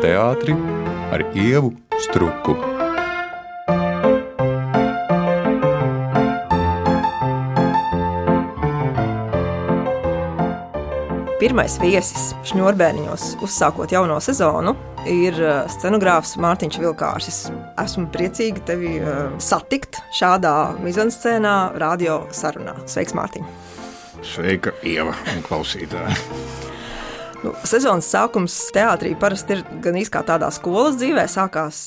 teātri ar Ievu Struku. Pirmais viesis Šņurbēniņos, uzsākot jauno sezonu, ir scenogrāfs Mārtiņš Vilkārsis. Esmu priecīga tevi satikt šādā mizanscēnā radio sarunā. Sveiks, Mārtiņ! Sveika, Ieva un klausītāji! Sezonas sākums teātrī parasti ir gan kā tādā skolas dzīvē, sākās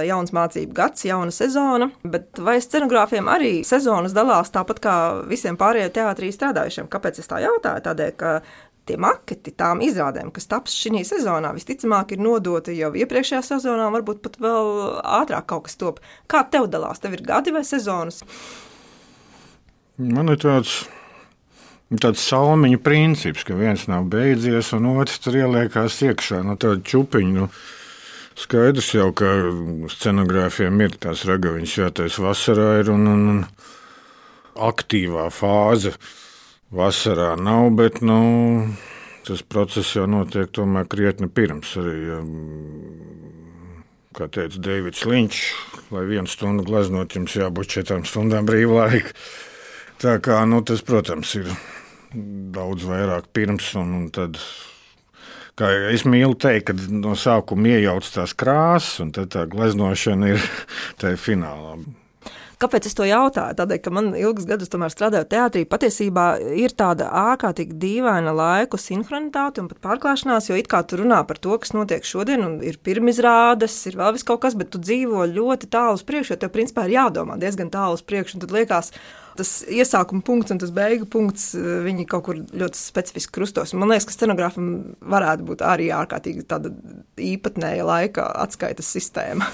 jauns mācību gads, jauna sezona, bet vai scenogrāfiem arī sezonas dalās tāpat kā visiem pārējiem teātrī strādājušiem? Kāpēc es tā jautāju? Tādēļ, ka tie maketi tām izrādēm, kas taps šī sezonā, visticamāk ir nodoti jau iepriekšējā sezonā, varbūt pat vēl ātrāk kaut kas top. Kā tev dalās? Tev ir gadi vai sezonas? Man ir tāds salmiņu princips, ka viens nav beidzies un otrs tur ieliekās iekšā. Tāda čupiņa, skaidrs jau, ka scenogrāfiem ir tās ragaviņas jātais vasarā ir un aktīvā fāze. Vasarā nav, bet tas process jau notiek tomēr krietni pirms. Arī, kā teica Deivids Linčs, lai 1 stundu gleznot, jums jābūt 4 stundām brīvlaika. Tā kā tas, protams, ir daudz vairāk pirms. Un tad, kā es mīlu teikt, kad no sākuma iejauc tās krāsas, un tad tā gleznošana ir tajā finālā. Kāpēc es to jautāju? Tādēļ, ka man ilgus gadus tomēr strādājot teātrī, patiesībā ir tāda ārkārtīgi dīvaina laiku sinhronitāte un pat pārklāšanās, jo it kā tu runā par to, kas notiek šodien, un ir pirmizrādes, ir vēl vis kaut kas, bet tu dzīvo ļoti tālu uz priekšu, jo tev principā ir jādomā diezgan tālu uz priekšu, un tad liekas, tas iesākuma punkts un tas beigu punkts, viņi kaut kur ļoti specifiski krustos. Man liekas, ka scenogrāfam varētu būt arī ārkārtīgi tāda īpatnēja laika atskaites sistēma.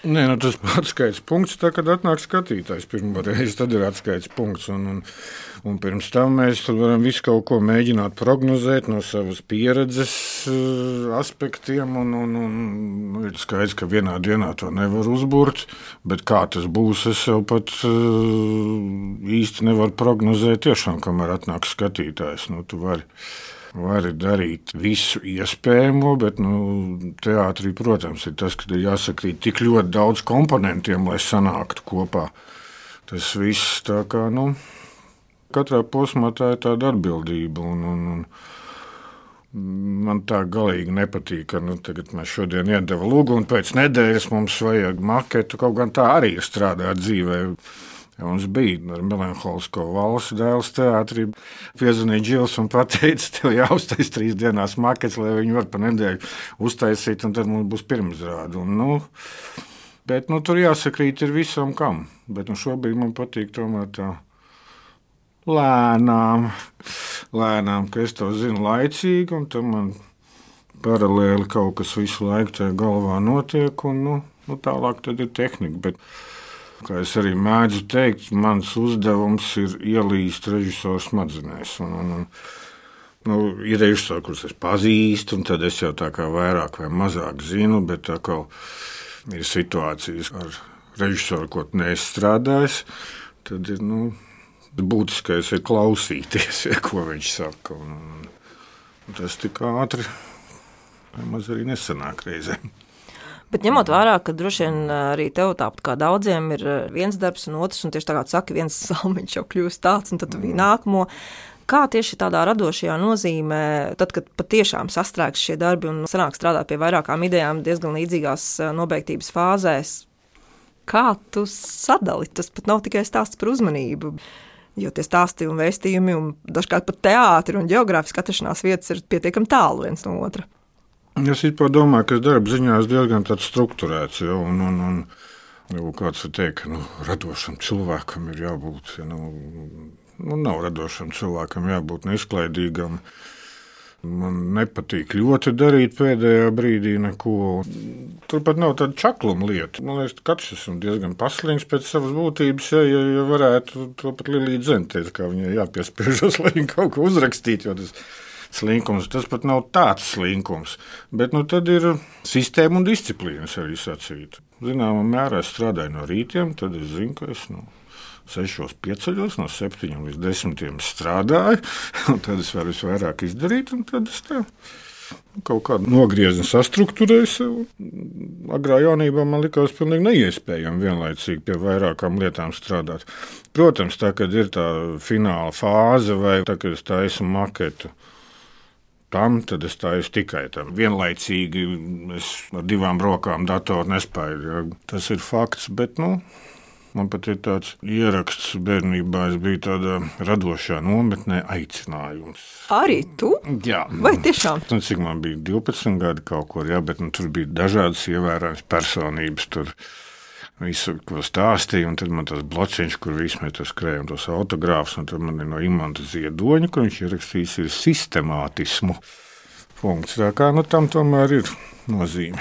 Nē, tas atskaites punkts, tā, kad atnāk skatītājs pirmoreiz, tad ir atskaites punkts. Un pirms tam mēs varam visu kaut ko mēģināt prognozēt no savas pieredzes aspektiem. Un ir skaidrs, ka vienā dienā to nevar uzburt, bet kā tas būs, es jau pat īsti nevaru prognozēt tiešām, kamēr atnāk skatītājs. Tu vari darīt visu iespējamo, bet teātrī, protams, ir tas, ka ir jāsakrīt tik ļoti daudz komponentiem, lai sanāktu kopā. Tas viss tā kā, katrā posmā tā ir tāda atbildība. Un man tā galīgi nepatīk, ka tagad mēs šodien iedeva lūgu, un pēc nedēļas mums vajag maketu, kaut gan tā arī ir strādāt dzīvē. Ja mums bija ar melanholisko valsts dēls teātrī, piezvanīja Džils un pateica, tev jāuztais 3 dienās makets, lai viņi var pa nedēļu uztaisīt, un tad mums būs pirmizrāde. Bet tur jāsakrīt ir visam kam. Bet šobrīd man patīk tomēr tā lēnām, ka es to zinu laicīgi, un tam man paralēli kaut kas visu laiku tajā galvā notiek, un tālāk tad ir tehnika. Bet, kā es arī mēdzu teikt, mans uzdevums ir ielīst režisora smadzenēs. Ir režisori, kurus es pazīstu, un tad es jau tā kā vairāk vai mazāk zinu, bet tā kā ir situācijas ar režisoru, ko neesmu strādājis, tad ir būtiskais ir klausīties, ko viņš saka. Un tas tik ātri vai maz arī nesanāk reizēm. Bet ņemot vērā, ka droši vien arī tev tāpat kā daudziem ir viens darbs un otrs, un tieši tā kā tu saki, viens salmiņš jau kļūst tāds, un tad tu biji nākamo. Kā tieši tādā radošajā nozīmē, tad, kad patiešām sastrēgs šie darbi un sanāk strādāt pie vairākām idejām diezgan līdzīgās nobeigtības fāzēs, kā tu sadali? Tas pat nav tikai stāsts par uzmanību, jo tie stāsti un vēstījumi un dažkārt pat teātri un ģeogrāfiski atrašanās vietas ir pietiekami tālu viens no otra. Es domāju, ka darba ziņā ir diezgan tāds strukturēts, un kāds var teikt, ka radošam cilvēkam ir jābūt, nav radošam cilvēkam jābūt neizklaidīgam. Man nepatīk ļoti darīt pēdējā brīdī neko. Turpat nav tāda čakluma lieta. Man liekas, katrs esmu diezgan paslīgs pēc savas būtības, ja varētu to pat Lilija Dzene teica, kā viņai jāpiespiežas, lai viņa kaut ko uzrakstītu, jo tas slinkums, tas pat nav tāds slinkums, bet tad ir sistēma un disciplīnas arī sacīt. Zināmā mērā es strādāju no rītiem, tad es zinu, ka es 6 pieceļos, no 7 līdz 10 strādāju, un tad es varu visvairāk izdarīt, un tad es tā kaut kādu nogriezni sastruktūrēju sev. Agrā jaunībā man likās pilnīgi neiespējami vienlaicīgi pie vairākām lietām strādāt. Protams, tā, kad ir tā fināla fāze vai tā, kad es taisu maketu, tad es taisu tikai tam. Vienlaicīgi es ar 2 rokām datoru nespēju. Ja. Tas ir fakts, bet, man pat ir tāds ieraksts bērnībā, es biju tādā radošā nometnē aicinājums. Arī tu? Jā. Vai tiešām? Cik man bija 12 gadi kaut kur, jā, bet tur bija dažādas ievērāmas personības, tur visu, ko stāstīja, un tad man tas blociņš, kur visi mēs tur skrējam tos autogrāfus, un tad man ir no Imanta Ziedoņa, kur viņš ierakstījis ir sistemātismu punkts. Tā kā, tam tomēr ir nozīme.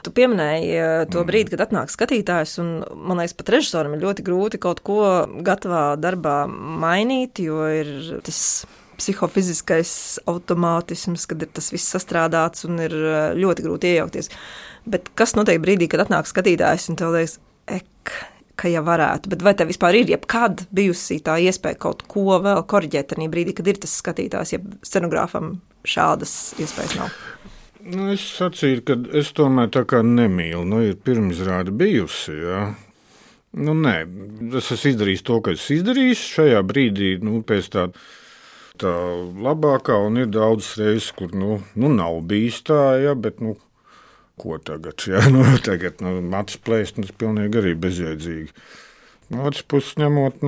Tu pieminēji to brīdi, kad atnāk skatītājs, un man liekas, pat režisoram ir ļoti grūti kaut ko gatavā darbā mainīt, jo ir tas psihofiziskais automātisms, kad ir tas viss sastrādāts un ir ļoti grūti iejaukties. Bet kas notiek brīdī, kad atnāk skatītājs un tev liekas, ka jau varētu, bet vai tev vispār ir jebkad bijusi tā iespēja kaut ko vēl koriģēt tajā brīdī, kad ir tas skatītājs, ja scenogrāfam šādas iespējas nav? Es sacīju, ka es tomēr tā kā nemīlu. Ir pirmizrāde bijusi. Ja? Nē, es esmu izdarījis to, ka es izdarīju šajā brīdī, pēc tā labākā, un ir daudzas reizes, kur nav bijis tā, ja? Bet ko tagad? Ja? Tagad matus plēst, tas pilnīgi arī bezjēdzīgi. No otras puses ņemot,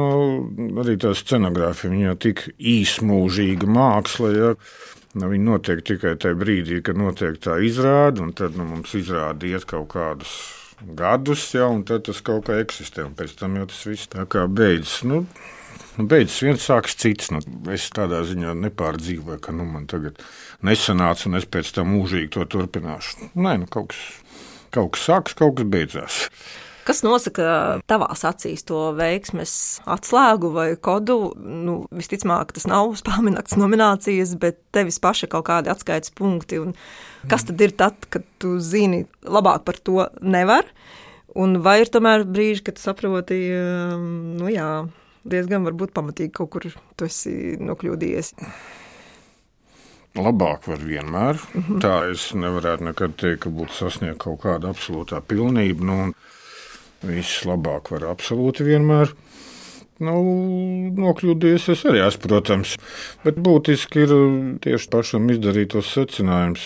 arī tā scenogrāfija, viņa jau tik īsmūžīga māksla, ja? Viņi notiek tikai tajā brīdī, kad notiek tā izrāde, un tad mums izrāde iet kaut kādus gadus, ja, un tad tas kaut kā eksistē, un pēc tam jau tas viss tā kā beidzas. Beidzas viens, sāks cits. Es tādā ziņā nepārdzīvoju, ka man tagad nesanāca, un es pēc tam mūžīgi to turpināšu. Nē, kaut kas sāks, kaut kas beidzās. Kas nosaka tavās acīs to veiksmes atslēgu vai kodu? Visticamāk, tas nav Spēlminakts nominācijas, bet tevis paša kaut kādi atskaites punkti. Un kas tad ir tad, kad tu zini, labāk par to nevar? Un vai ir tomēr brīži, kad tu saproti, diezgan varbūt pamatīgi kaut kur tu esi nokļūdījies? Labāk var vienmēr. Tā es nevarētu nekad teikt, ka būtu sasniegt kaut kāda absolūtā pilnība. Viss labāk var absolūti vienmēr. Nokļūdījies es arī esmu, protams. Bet būtiski ir tieši pašam izdarīt tos secinājumus.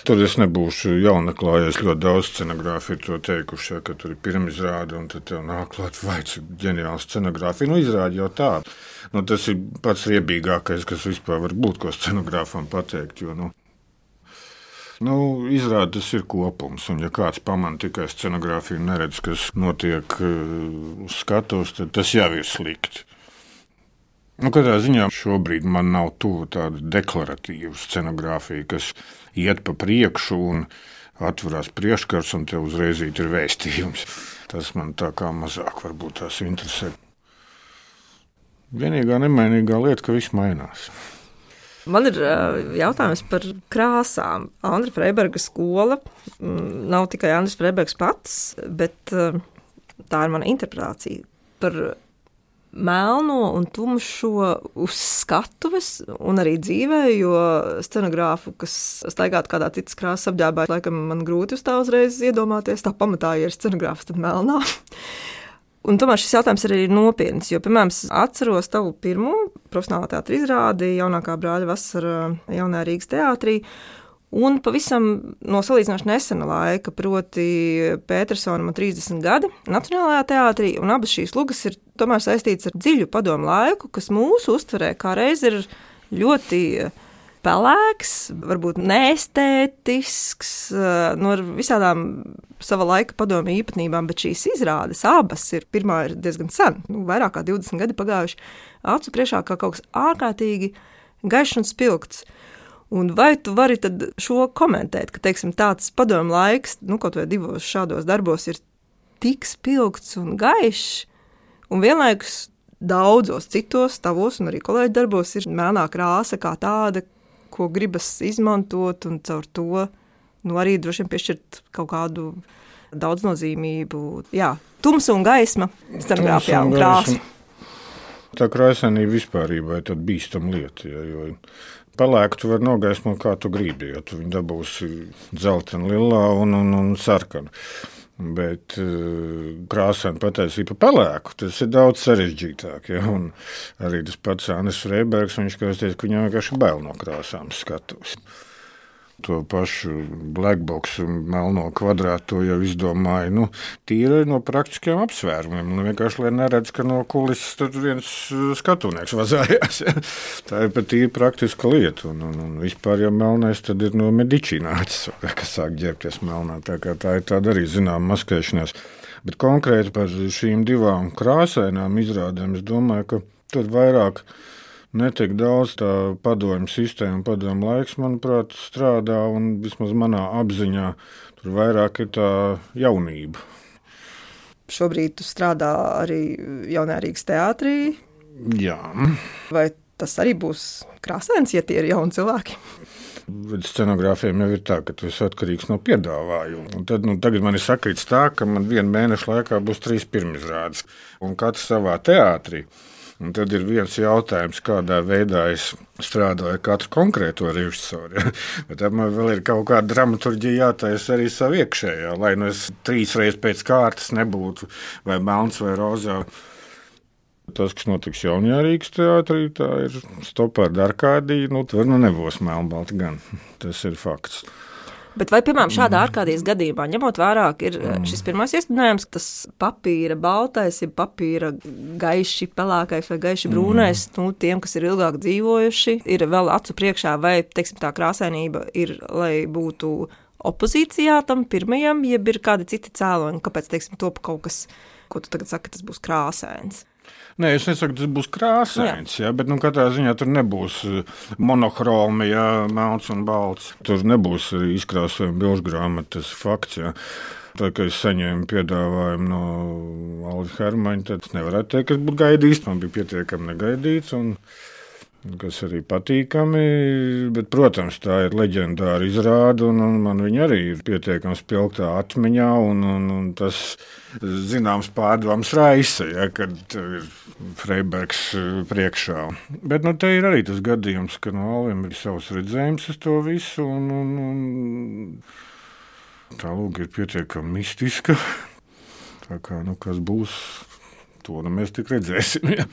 Tur es nebūšu jaunaklājies, ļoti daudz scenogrāfi ir to teikuši, ka tur ir pirmizrāde, un tad tev nāk klāt, vai cik ģeniāla scenogrāfija. Izrādi jau tā. Tas ir pats riebīgākais, kas vispār var būt, ko scenogrāfam pateikt, jo, izrādi tas ir kopums, un ja kāds pamana tikai scenogrāfiju un neredz, kas notiek uz skatuves, tad tas jau ir slikti. Katrā ziņā šobrīd man nav tuvu tāda deklaratīva scenogrāfija, kas iet pa priekšu un atverās priekškars, un tev uzreiz ir vēstījums. Tas man tā kā mazāk varbūt tās interesē. Vienīgā nemainīgā lieta, ka viss mainās. Man ir jautājums par krāsām. Andra Freiberga skola nav tikai Andris Freibergs pats, bet tā ir mana interpretācija par melno un tumšo uz skatuves un arī dzīvē, jo scenogrāfu, kas staigātu kādā citas krāsas apģērbā, laikam man grūti uz tā uzreiz iedomāties. Tā pamatā, ja ir scenogrāfs, tad melnā. Un tomēr šis jautājums arī ir nopietns, jo, piemēram, es atceros tavu pirmo profesionālā teātra izrādi Jaunākā brāļa vasara Jaunajā Rīgas teātrī, un pavisam no salīdzinoši nesena laika, proti Petersona man 30 gadi Nacionālajā teātrī, un abas šīs lugas ir tomēr saistītas ar dziļu padomu laiku, kas mūsu uztverē kā reiz ir ļoti pelēks, varbūt neestētisks, ar visādām sava laika padomju īpatnībām, bet šīs izrādes abas pirmā ir diezgan sen, vairāk kā 20 gadi pagājuši, acu priekšā kā kaut kas ārkārtīgi gaišs un spilgts. Un vai tu vari tad šo komentēt, ka, teiksim, tāds padomju laiks, kaut vai divos šādos darbos ir tik spilgts un gaišs, un vienlaikus daudzos citos tavos un arī kolēģi darbos ir melnā krāsa kā tāda, ko gribas izmantot, un caur to arī droši vien piešķirt kaut kādu daudznozīmību. Jā, tumsa un gaisma scenogrāfijā un krāsa. Tā krāsainība vispārībā ir tāda bīstama lieta, jo Pelēku tu vari nogaismot, kā tu gribi, jo tu viņu dabūsi dzeltenu, lilā un sarkanu. Bet krāsaini patiesībā pa pelēku tas ir daudz sarežģītāk. Ja? Un arī tas pats Andris Freibergs, viņš teica, ka viņam vienkārši bail no krāsām skatuves. To pašu blackboxu melno kvadrātu to jau izdomāja tīri no praktiskiem apsvērumiem. Vienkārši, lai neredz, ka no kulises tur viens skatunieks vazājās. Ja? Tā ir pat tīri praktiska lieta. Un vispār jau melnais tad ir no Medici nācis, kas sāk ģērbties melnā. Tā ir tāda arī zināma maskēšanās. Bet konkrēti par šīm divām krāsainām izrādēm es domāju, ka tur vairāk netiek daudz tā padomju sistēma, padomju laiks, manuprāt, strādā, un vismaz manā apziņā tur vairāk ir tā jaunība. Šobrīd tu strādā arī Jaunajā Rīgas teātrī. Jā. Vai tas arī būs krāsains, ja tie ir jauni cilvēki? Scenogrāfiem jau ir tā, ka tu esi atkarīgs no piedāvājuma. Un tad, tagad man ir sakrits tā, ka man 1 mēneša laikā būs 3 pirmizrādes, un katrs savā teātrī. Un tad ir viens jautājums, kādā veidā es strādāju ar katru konkrēto režisoru. Ja? Bet tad man vēl ir kaut kāda dramaturģija jātaisa arī savu iekšējā, lai es 3 reizes pēc kārtas nebūtu vai melns vai rozā. Tas, kas notiks Jaunajā Rīgas teātrī, tā ir Stopārda Arkādija. Tur nebūs melnbalti gan. Tas ir fakts. Bet vai, piemēram, šādā ārkārtības gadījumā, ņemot vērā, ka ir šis pirmais iestrādājums, tas papīra baltais, ir papīra gaiši pelēkais vai gaiši brūnais, tiem, kas ir ilgāk dzīvojuši, ir vēl acu priekšā, vai, teiksim, tā krāsainība ir, lai būtu opozīcijā tam pirmajam, jeb ir kādi citi cēloņi, kāpēc, teiksim, top kaut kas, ko tu tagad saki, tas būs krāsains? Nē, es nesaku, ka tas būs krāsains, bet katrā ziņā tur nebūs monohromi, melns un balts. Tur nebūs izkrāsojuma bilžu grāmata, tas ir fakts. Ja. Tā kā es saņēmu piedāvājumu no Alda Hermaņa, tad es nevarētu teikt, kas būtu gaidīts. Man bija pietiekami negaidīts, un kas arī patīkami. Bet, protams, tā ir leģendāra izrāde, un man viņa arī ir pietiekami spilgtā atmiņā, un tas zināms pārdoms raisa, ja, kad ir Freibergs priekšā. Bet te ir arī tas gadījums, ka Alvim ir savs redzējums uz to visu, un tā lūga ir pietiekami mistiska. Tā kā, kas būs, to mēs tik redzēsim. Ja.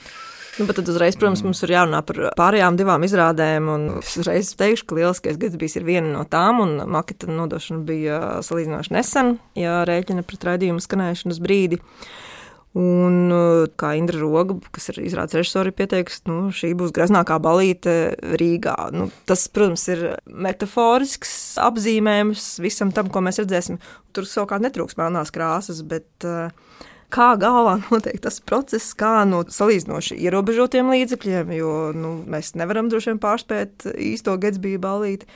Bet tad uzreiz, protams, mums ir jārunā par pārējām 2 izrādēm, un es uzreiz teikšu, ka Lieliskais Gatsbijs ir viena no tām, un maketa nodošana bija salīdzinoši nesen, ja rēķina pret raidījumu skanēšanas brīdi. Un kā Indra Roga, kas ir izrādes režisori, pieteikusi, šī būs greznākā ballīte Rīgā. Tas, protams, ir metaforisks apzīmējums visam tam, ko mēs redzēsim. Tur savukārt netrūks melnās krāsas, bet kā galvā notiek tas process, kā no salīdzinoši ierobežotiem līdzekļiem, jo mēs nevaram droši vien pārspēt īsto Gatsbija ballīti,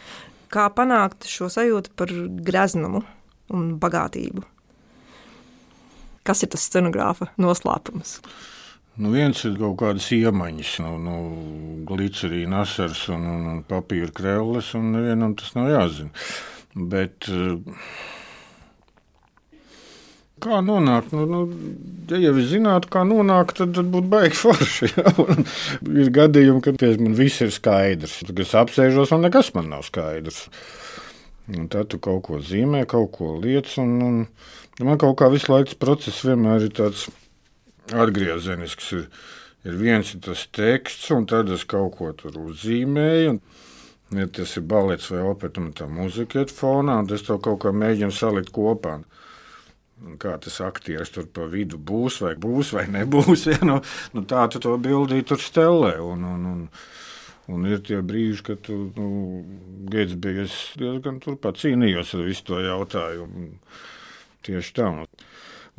kā panākt šo sajūtu par greznumu un bagātību. Kas ir tas scenogrāfa noslēpums? Viens ir kaut kādas iemaņas, glicerīna asars un papīra krēles, un nevienam tas nav jāzina. Bet kā nonākt? Ja jau es zinātu, kā nonākt, tad būtu baigi forši. Ja? Ir gadījumi, kad man viss ir skaidrs. Tad es apsēžos, un nekas man nav skaidrs. Un tad tu kaut ko zīmē, kaut ko liec, un man kaut kā visu laiku tas process vienmēr ir tāds atgriezenisks. Ir viens ir tas teksts, un tad es kaut ko tur uzzīmēju. Ja tas ir balets vai opera, un tā mūzika iet fonā, un es to kaut kā mēģinu salikt kopā. Un kā tas aktieris tur pa vidu būs vai nebūs, ja? Tā tu to bildī tur stelē. Un ir tie brīži, kad tu Gatsbija diezgan turpat cīnījos ar visu to jautājumu. Tieši tā.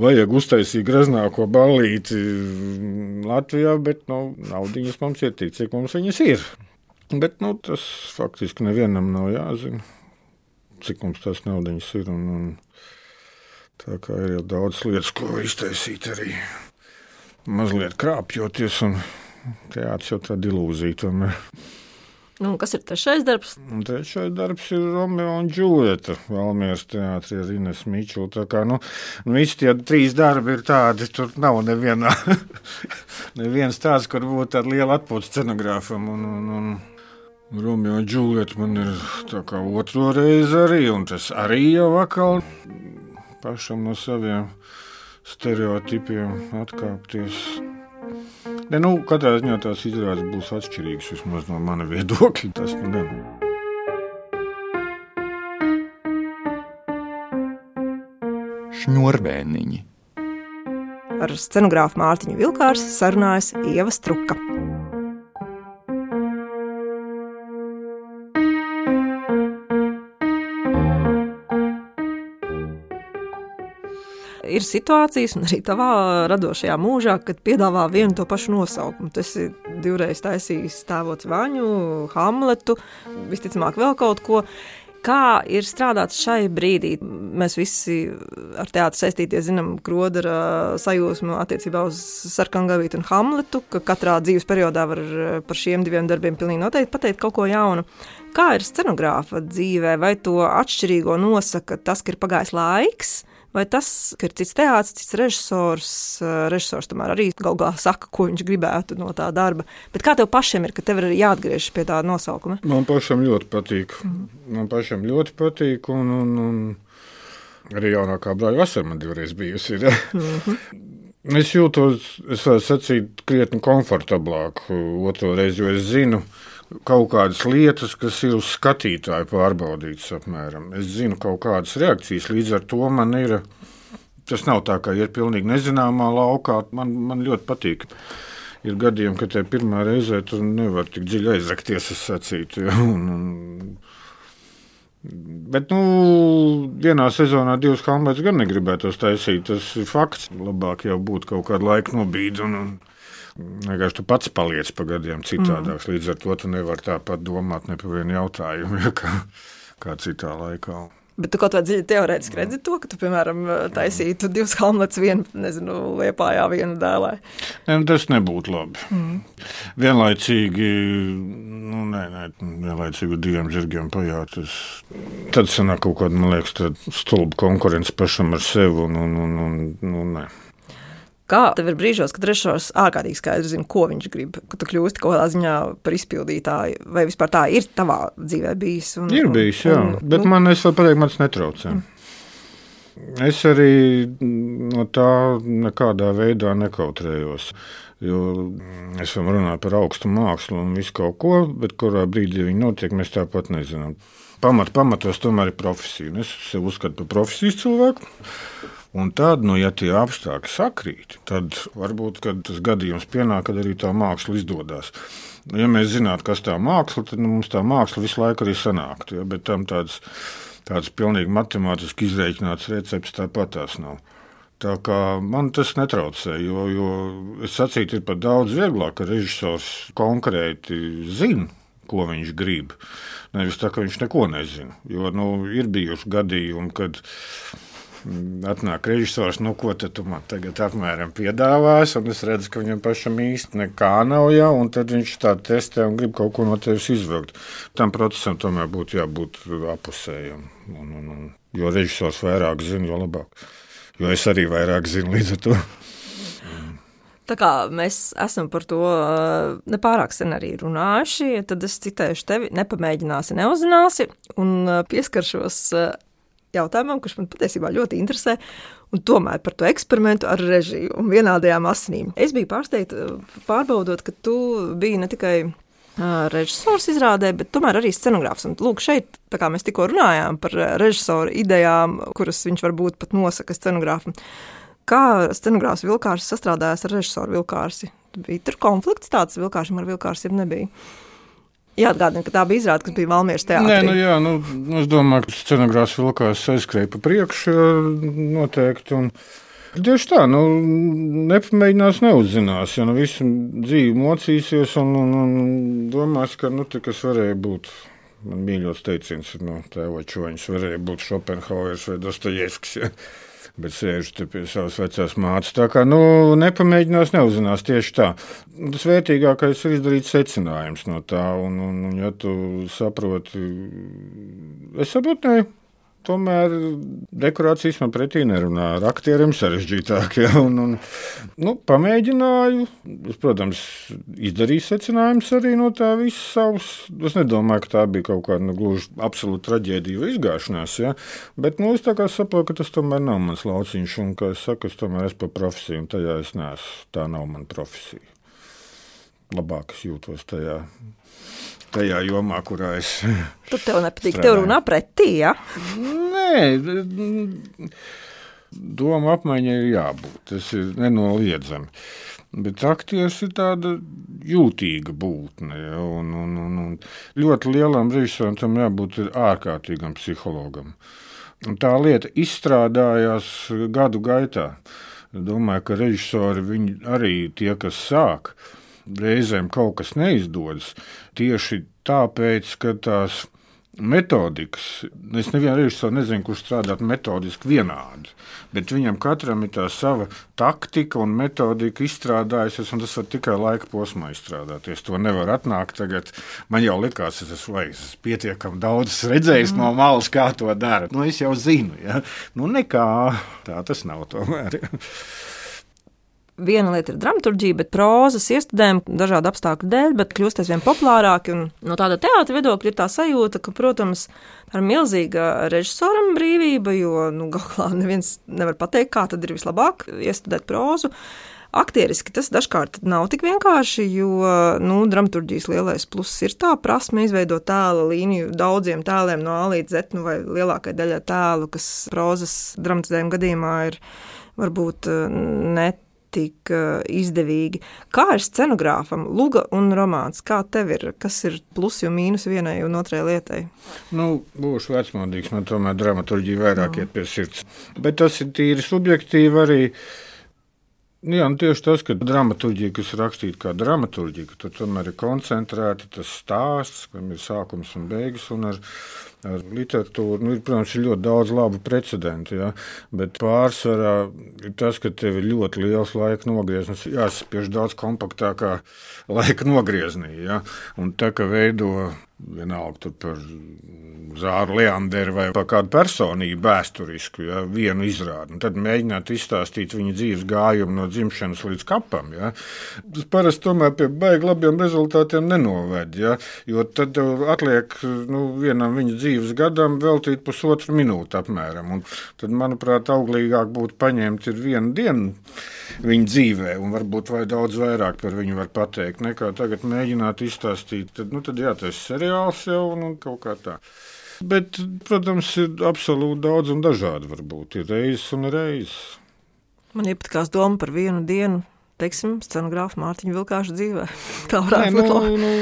Vajag uztaisīt greznāko ballīti Latvijā, bet naudiņas mums ir tik, cik mums viņas ir. Bet tas faktiski nevienam nav jāzina, cik mums tās naudiņas ir. Tā kā ir jau daudz lietas, ko iztaisīt arī mazliet krāpjoties, un teātris jau tāda ilūzija tomēr. Kas ir trešais darbs? Trešais darbs ir Romeo un Džuljeta Valmieras teātrī ar Inesu Mičulu. Tā kā, visi tie 3 darbi ir tādi, tur nav neviens tāds, kur būtu tāda liela atpūta scenogrāfam. Romeo un Džulieta man ir tā kā otro reizi arī, un tas arī jau atkal pašam no saviem stereotipiem atkāpties. Ne, katrā ziņā tās izrādes būs atšķirīgas, vismaz no mana viedokļa. Tas gan. Šņurbēniņi. Ar scenogrāfu Mārtiņu Vilkārsi sarunājas Ieva Struka. Ir situācijas, un arī tavā radošajā mūžā, kad piedāvā vienu to pašu nosaukumu. Tu esi divreiz taisījis Tēvots Vaņu, Hamletu, visticamāk vēl kaut ko. Kā ir strādāts šai brīdī? Mēs visi ar teātru saistīties zinām Krodera sajūsmu attiecībā uz Sarkangavītu un Hamletu, ka katrā dzīves periodā var par šiem diviem darbiem pilnīgi noteikti pateikt kaut ko jaunu. Kā ir scenogrāfa dzīvē? Vai to atšķirīgo nosaka tas, ka ir pagājis laiks? Vai tas, ka ir cits teātris, cits režisors tomēr arī galu galā saka, ko viņš gribētu no tā darba. Bet kā tev pašiem ir, ka tev ir jāatgriežas pie tā nosaukuma? Man pašam ļoti patīk. Un arī jaunākā brāļa vasara man divreiz bijusi. Ja? Es jūtos, es varu sacīt, krietni komfortablāk otro reizi, jo es zinu kaut kādas lietas, kas ir uz skatītāju pārbaudītas apmēram. Es zinu kaut kādas reakcijas, līdz ar to man ir, tas nav tā, kā ir pilnīgi nezināmā laukā, man ļoti patīk. Ir gadījumi, ka te pirmā reizē tu nevar tik dziļi aizrakties, es sacītu. Ja? Bet, vienā sezonā 2 Hamlets gan negribētos taisīt, tas ir fakts. Labāk jau būtu kaut kādu laiku nobīdi un vienkārši tu pats paliec pa gadiem citādāks. Līdz ar to tu nevar tāpat domāt ne par vienu jautājumu, ja, kā citā laikā. Bet tu kaut vai dziļi teorētiski redzi to, ka tu, piemēram, taisītu 2 Hamlets, vienu, Liepājā, vienu Dēlē? Ne, tas nebūtu labi. Vienlaicīgi, vienlaicīgi 2 žirgiem pajāt. Tad sanāk kaut kāda, man liekas, stulba konkurence pašam ar sevi un ne. Kā tev ir brīžos, kad režisors ārkārtīgi skaidri zina, ko viņš grib, ka tu kļūsti kaut kādā ziņā par izpildītāju, vai vispār tā ir tavā dzīvē bijis? Ir bijis, jā, bet man, es vēl pateiktu, man tas netraucē. Es arī no tā nekādā veidā nekautrējos, jo es varu runāt par augstu mākslu un visu kaut ko, bet kurā brīdī viņi notiek, mēs tāpat nezinām. Pamatos tomēr ir profesija, un es sev uzskatu par profesijas cilvēku. Un tad, ja tie apstākļi sakrīt, tad varbūt, kad tas gadījums pienāk, kad arī tā māksla izdodas. Ja mēs zinātu, kas tā māksla, tad mums tā māksla visu laiku arī sanāktu. Ja? Bet tam tāds pilnīgi matemātiski izreikināts recepts tāpat tās nav. Tā kā man tas netraucē, jo es sacītu, ir pat daudz vieglāk, ka režisors konkrēti zina, ko viņš grib. Nevis tā, ka viņš neko nezina. Jo ir bijuši gadījumi, kad atnāk režisors, ko tu man tagad apmēram piedāvās, un es redzu, ka viņam pašam īsti nekā nav jau, un tad viņš tā testē un grib kaut ko no tevis izvilkt. Tam procesam tomēr būtu jābūt apusējam. Jo režisors vairāk zina, jo labāk. Jo es arī vairāk zinu līdz ar to. Tā kā mēs esam par to nepārāk sen arī runājuši, tad es citēšu tevi, nepamēģināsi, neuzzināsi, un pieskaršos jautājumam, kurš man patiesībā ļoti interesē, un tomēr par to eksperimentu ar režiju un vienādajām asinīm. Es biju pārsteigta, pārbaudot, ka tu biji ne tikai režisors izrādē, bet tomēr arī scenogrāfs. Un lūk, šeit, tā kā mēs tikko runājām par režisoru idejām, kuras viņš varbūt pat nosaka scenogrāfam. Kā scenogrāfs Vilkārsis sastrādājās ar režisoru Vilkārsi? Bija tur konflikts tāds Vilkārsim ar Vilkārsi, ja nebija? Jāatgādina, ka tā bija izrāde, kas bija Valmieras teātrī. Es domāju, ka scenogrāfs Vilkārsis aizskrēja pa priekšu noteikti. Un tieši tā, nepamēģinās, neuzzinās. Ja visu dzīvi mocīsies un domās, ka tas varēja būt, man mīļots teiciens no Tēvoča Čoņas, varēja būt Šopenhauers vai Dostojevskis. Ja. Bet sēžu te pie savas vecās mātes. Tā kā, nepamēģinās, neuzzinās tieši tā. Tas vērtīgākais ir izdarīt secinājums no tā, un ja tu saproti, es saprotu, tomēr dekorācijas man pretī nerunā. Ar aktieriem sarežģītāk. Ja? Pamēģināju. Es, protams, izdarīju secinājumus arī no tā visa savas. Es nedomāju, ka tā bija kaut kāda gluži absolūta traģēdija vai izgāšanās. Ja? Bet es tā kā saprotu, ka tas tomēr nav mans lauciņš. Un, kā es saku, es tomēr esmu par profesiju. Un tajā es neesmu. Tā nav mana profesija. Labāk es jūtos tajā jomā, kurā es Tur tev nepatīk, tev runā pretī, ja? Nē, doma apmaiņai ir jābūt, tas ir nenoliedzami. Bet aktieris ir tāda jūtīga būtne, ja, un ļoti lielam režisoram tam jābūt ārkārtīgam psihologam. Un tā lieta izstrādājās gadu gaitā. Domāju, ka režisori viņi arī tie, kas sāk, reizēm kaut kas neizdodas, tieši tāpēc, ka tās metodikas, es nevienu režisoru nezinu, kurš strādāt metodiski vienādi, bet viņam katram ir tā sava taktika un metodika izstrādājusies, un tas var tikai laika posmā izstrādāties. To nevar atnākt tagad. Man jau likās, es esmu pietiekami daudz redzējis no malas, kā to dara. Es jau zinu, ja? Nekā, tā tas nav tomēr. Viena lieta ir dramaturģija, bet prózas iestudējumi dažādu apstākļu dēļ, bet kļūst aizvien populārāki. Un no tāda teātra viedokļa ir tā sajūta, ka, protams, tā ir milzīga režisoram brīvība, jo galā neviens nevar pateikt, kā tad ir vislabāk iestudēt prózu. Aktieriski tas dažkārt nav tik vienkārši, jo dramaturģijas lielais pluss ir tā prasme izveidot tēla līniju daudziem tēliem no A līdz Z, vai lielākai daļai tēlu, kas prózas dramatizējuma gadījumā ir varbūt ne tik izdevīgi. Kā ir scenogrāfam Luga un romāns? Kā tev ir? Kas ir plusi un mīnus vienai un otrai lietai? Būšu vecmodīgs, man tomēr dramaturģija vairāk iet pie sirds. Bet tas ir tīri subjektīvi arī. Tieši tas, ka dramaturģija, kas ir rakstīta kā dramaturģija, ka tur tomēr ir koncentrēta tas stāsts, kam ir sākums un beigas, un ar literatūru, protams, ir ļoti daudz labu precedentu, ja? Bet pārsvarā ir tas, ka tev ir ļoti liels laika nogrieznis, jāsaspiež daudz kompaktākā laika nogrieznī, ja? Un tā, ka veido vienalga tur par Zāru Leanderu vai par kādu personību vēsturisku, ja? Vienu izrādi, un tad mēģināt izstāstīt viņa dzīves gājumu no dzimšanas līdz kapam, ja? Tas parasti tomēr pie baigi labiem rezultātiem nenoved, ja? Jo tad atliek vienam viņa dzīves gadam veltīt 1,5 minūti apmēram. Un tad, manuprāt, auglīgāk būtu paņemt ir vienu dienu viņa dzīvē, un varbūt vai daudz vairāk par viņu var pateikt, nekā tagad mēģināt izstāstīt. Tad tas seriāls jau un kaut kā tā. Bet, protams, ir absolūti daudz un dažādi varbūt. Ir reizes un reizes. Man iepatikās doma par vienu dienu, teiksim, scenogrāfa Mārtiņa Vilkāša dzīvē. Tā varētu būt labi.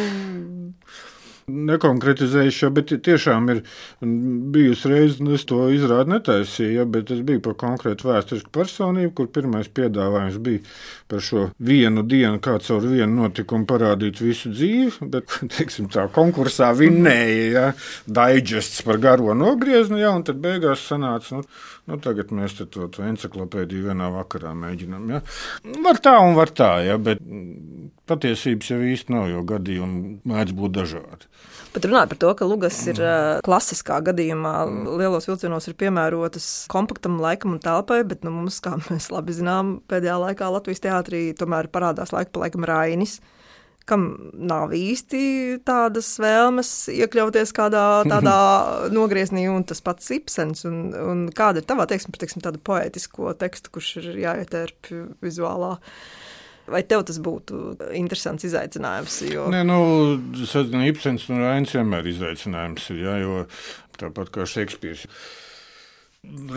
Nekonkretizējuši, bet tiešām ir bijusi reize, es to izrādi netaisīju, bet es biju par konkrētu vēsturisku personību, kur pirmais piedāvājums bija par šo vienu dienu, kā caur vienu notikumu parādīt visu dzīvi, bet, teiksim, tā konkursā vinnēja, ja, daiģests par garo nogriezni, ja, un tad beigās sanāca, tagad mēs to enciklopēdiju vienā vakarā mēģinām, ja. Var tā un var tā, ja, bet patiesības jau īsti nav, jo gadījumi mēdz būt dažādi. Bet runāt par to, ka lugas ir klasiskā gadījumā, lielos vilcienos ir piemērotas kompaktam laikam un telpai, bet mums, kā mēs labi zinām, pēdējā laikā Latvijas teātrī tomēr parādās laika pa laikam Rainis, kam nav īsti tādas vēlmes iekļauties kādā tādā nogrieznī, un tas pats Ibsens, un kāda ir tavā teiksme par tādu poētisko tekstu, kurš ir jāietērp vizuālā. Vai tev tas būtu interesants izaicinājums? Jo... Nē, Ibsens un Rainis vienmēr izaicinājums ir, ja, jo tāpat kā Šekspīrs.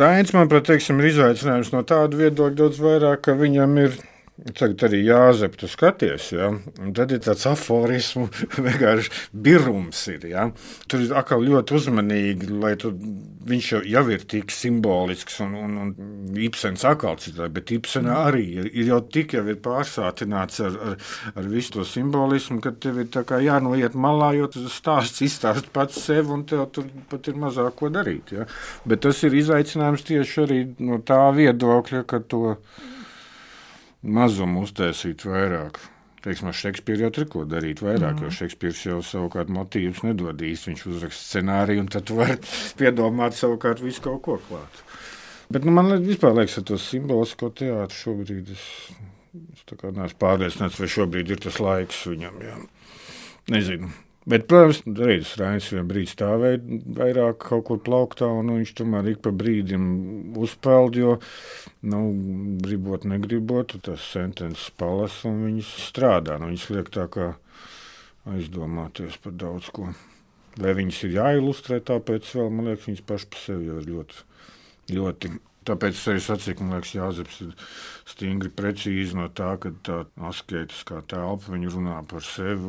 Rainis, manuprāt, ir izaicinājums no tāda viedokļa daudz vairāk, ka viņam ir tagad arī Jāzep, tu skaties, ja? Un tad ir tāds aforismu, vienkārši birums ir, ja? Tur ir atkal ļoti uzmanīgi, lai viņš jau ir tik simbolisks un Ibsens atkal citādi, bet Ibsenā arī ir jau tik jau ir pārsātināts ar visu to simbolismu, ka tev ir tā kā jānoiet malā, jo tas stāsts izstāst pats sev un tev tur pat ir mazāk ko darīt, ja? Bet tas ir izaicinājums tieši arī no tā viedokļa, ka to mazumu uztaisīt vairāk. Teiksim, ar Šekspīru jau tur ko darīt vairāk, jo Šekspīrs jau savukārt motīvus nedod īsti. Viņš uzraksta scenāriju, un tad tu vari piedomāt savukārt visu kaut ko klāt. Bet man vispār liekas, ka tos simbolisko teātru šobrīd es tā kā neesmu pārliecināts, vai šobrīd ir tas laiks viņam. Jā. Nezinu. Bet, protams, Reinis Rainis vien brīdi stāvēja vairāk kaut kur plauktā, un viņš tomēr ik pa brīdim uzpeld, jo, gribot, negribot, tas sentences palas, un viņas strādā. Viņas liek tā kā aizdomāties par daudz ko. Vai viņas ir jāilustrē, tāpēc vēl, man liekas, viņas paši pa sevi jau ir ļoti, ļoti. Tāpēc es arī sacīju, man liekas, Jāzeps ir stingri precīzi no tā, ka tā asketiskā telpa, viņa runā par sevi,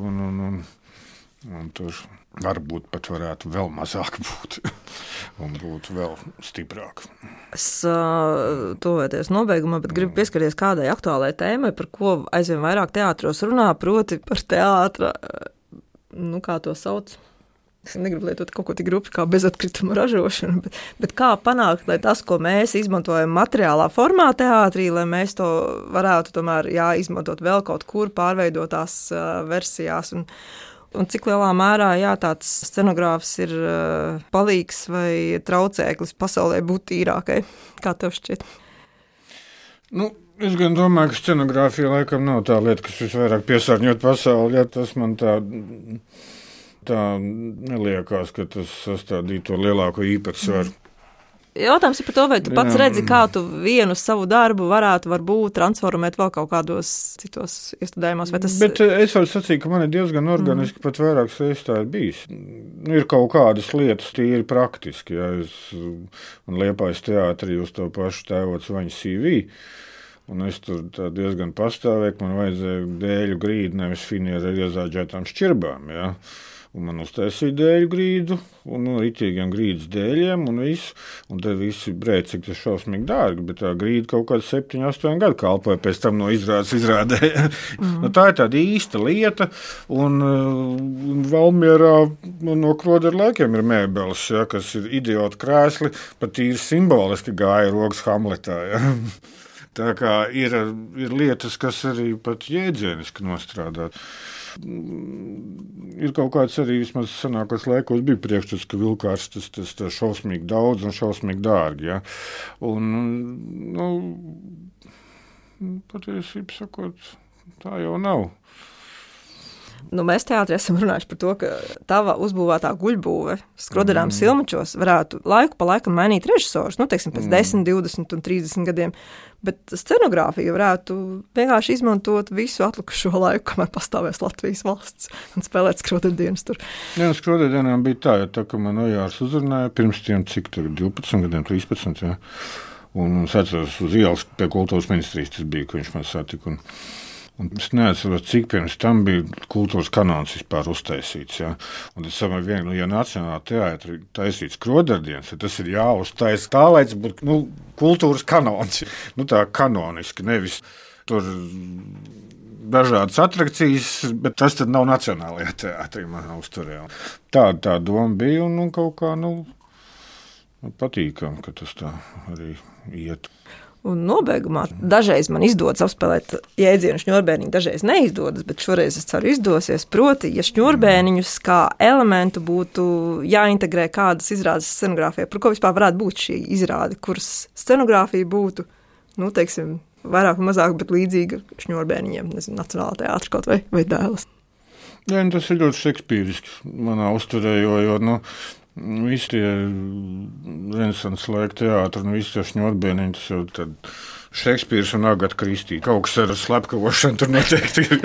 un tur varbūt pat varētu vēl mazāk būt un būt vēl stiprāk. Es tuvojoties nobeigumā, bet gribu pieskarties kādai aktuālai tēmai, par ko aizvien vairāk teātros runā, proti par teātra, kā to sauc. Es negribu lietot kaut ko tik grupi kā bezatkrituma ražošana, bet kā panākt, lai tas, ko mēs izmantojam materiālā formā teātrī, lai mēs to varētu tomēr izmantot vēl kaut kur pārveidotās versijās un cik lielā mērā tāds scenogrāfs ir palīgs vai traucēklis pasaulē būt tīrākai? Kā tev šķiet? Es gan domāju, ka scenogrāfija laikam nav tā lieta, kas visvairāk piesārņot pasauli. Ja tas man tā neliekās, ka tas sastādītu to lielāko īpatsvaru. Jautājums ir par to, vai tu pats redzi, kā tu vienu savu darbu varētu varbūt transformēt vēl kaut kādos citos iestudējumos. Bet es varu sacīt, ka man ir diezgan organiski pat vairākas reizes tā ir bijis. Ir kaut kādas lietas tīri praktiski. Ja man Liepājas teātrī uz to pašu Tēvots Vaņa CV, un es tur diezgan pastāvēju, man vajadzēja dēļu grīdu, nevis finieru ar iezāģētām šķirbām, ja. Un man uztaisīja dēļu grīdu, un ritīgiem grīdas dēļiem, un visu. Un tad visi brēc, cik tas šausmīgi dārgi, bet tā grīda kaut kāds 7-8 gadu kalpoja pēc tam no izrādes izrādēja. Tā ir tāda īsta lieta, un Valmierā no Krodera laikiem ir mēbeles, ja, kas ir idiota krēsli, pat īri simboliski gāja rokas Hamletā, ja. Tā kā ir lietas, kas arī pat jēdzieniski nostrādāt. Ir kaut kāds arī vismaz senākos laikos bija priekšstats, ka vilkārs tas šausmīgi daudz un šausmīgi dārgi. Ja? Un, patiesībā sakot, tā jau nav. Mēs teātrī esam runājuši par to, ka tava uzbūvētā guļbūve Skroderām Silmačos varētu laiku pa laikam mainīt režisors, teiksim, pēc 10, 20 un 30 gadiem, bet scenogrāfija varētu vienkārši izmantot visu atlikušo laiku, kamēr pastāvēs Latvijas valsts un spēlēt Skroderdienas tur. Jā, Skroderdienām bija tā, ka man Ojārs uzrunāja pirms tiem, cik tur 12 gadiem, 13, jā. Un es atceros uz ielas pie kultūras ministrijas tas bija, ka viņš man satika. Un es neatceros, cik pirms tam bija kultūras kanons vispār uztaisīts. Ja? Un es saprotu, ja Nacionālā teātra taisīts Skroderdienas, tad tas ir jāuztaisa tā, lai tas būtu kultūras kanons. Tā kanoniski, nevis tur dažādas atrakcijas, bet tas tad nav Nacionālajā teātrī manā uzturē. Tā doma bija un kaut kā patīkam, ka tas tā arī iet. Un nobeigumā dažreiz man izdodas apspēlēt jēdzienu šņurbēniņu, dažreiz neizdodas, bet šoreiz es ceru izdosies. Proti, ja šņurbēniņus kā elementu būtu jāintegrē kādas izrādes scenogrāfijā, par ko vispār varētu būt šī izrāde, kuras scenogrāfija būtu, teiksim, vairāk un mazāk, bet līdzīga šņurbēniņiem, Nacionālā teātra kaut vai Dēles. Jā, tas ir ļoti šekspīriski manā uzturē, jo visi tie renesanses laika teātri un visi tie šņurbēniņi, tas jau tad Šekspīrs un Agata Kristī. Kaut kas ar slepkavošanu tur noteikti ir.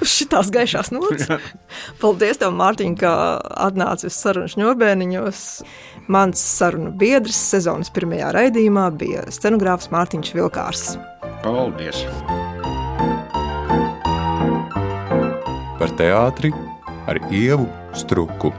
Uz šitās gaišās nots. Paldies tev, Mārtiņ, ka atnāci uz sarunu šņurbēniņos. Mans sarunu biedrs sezonas pirmajā raidījumā bija scenogrāfs Mārtiņš Vilkārs. Paldies! Par teātri ar Ievu Struku.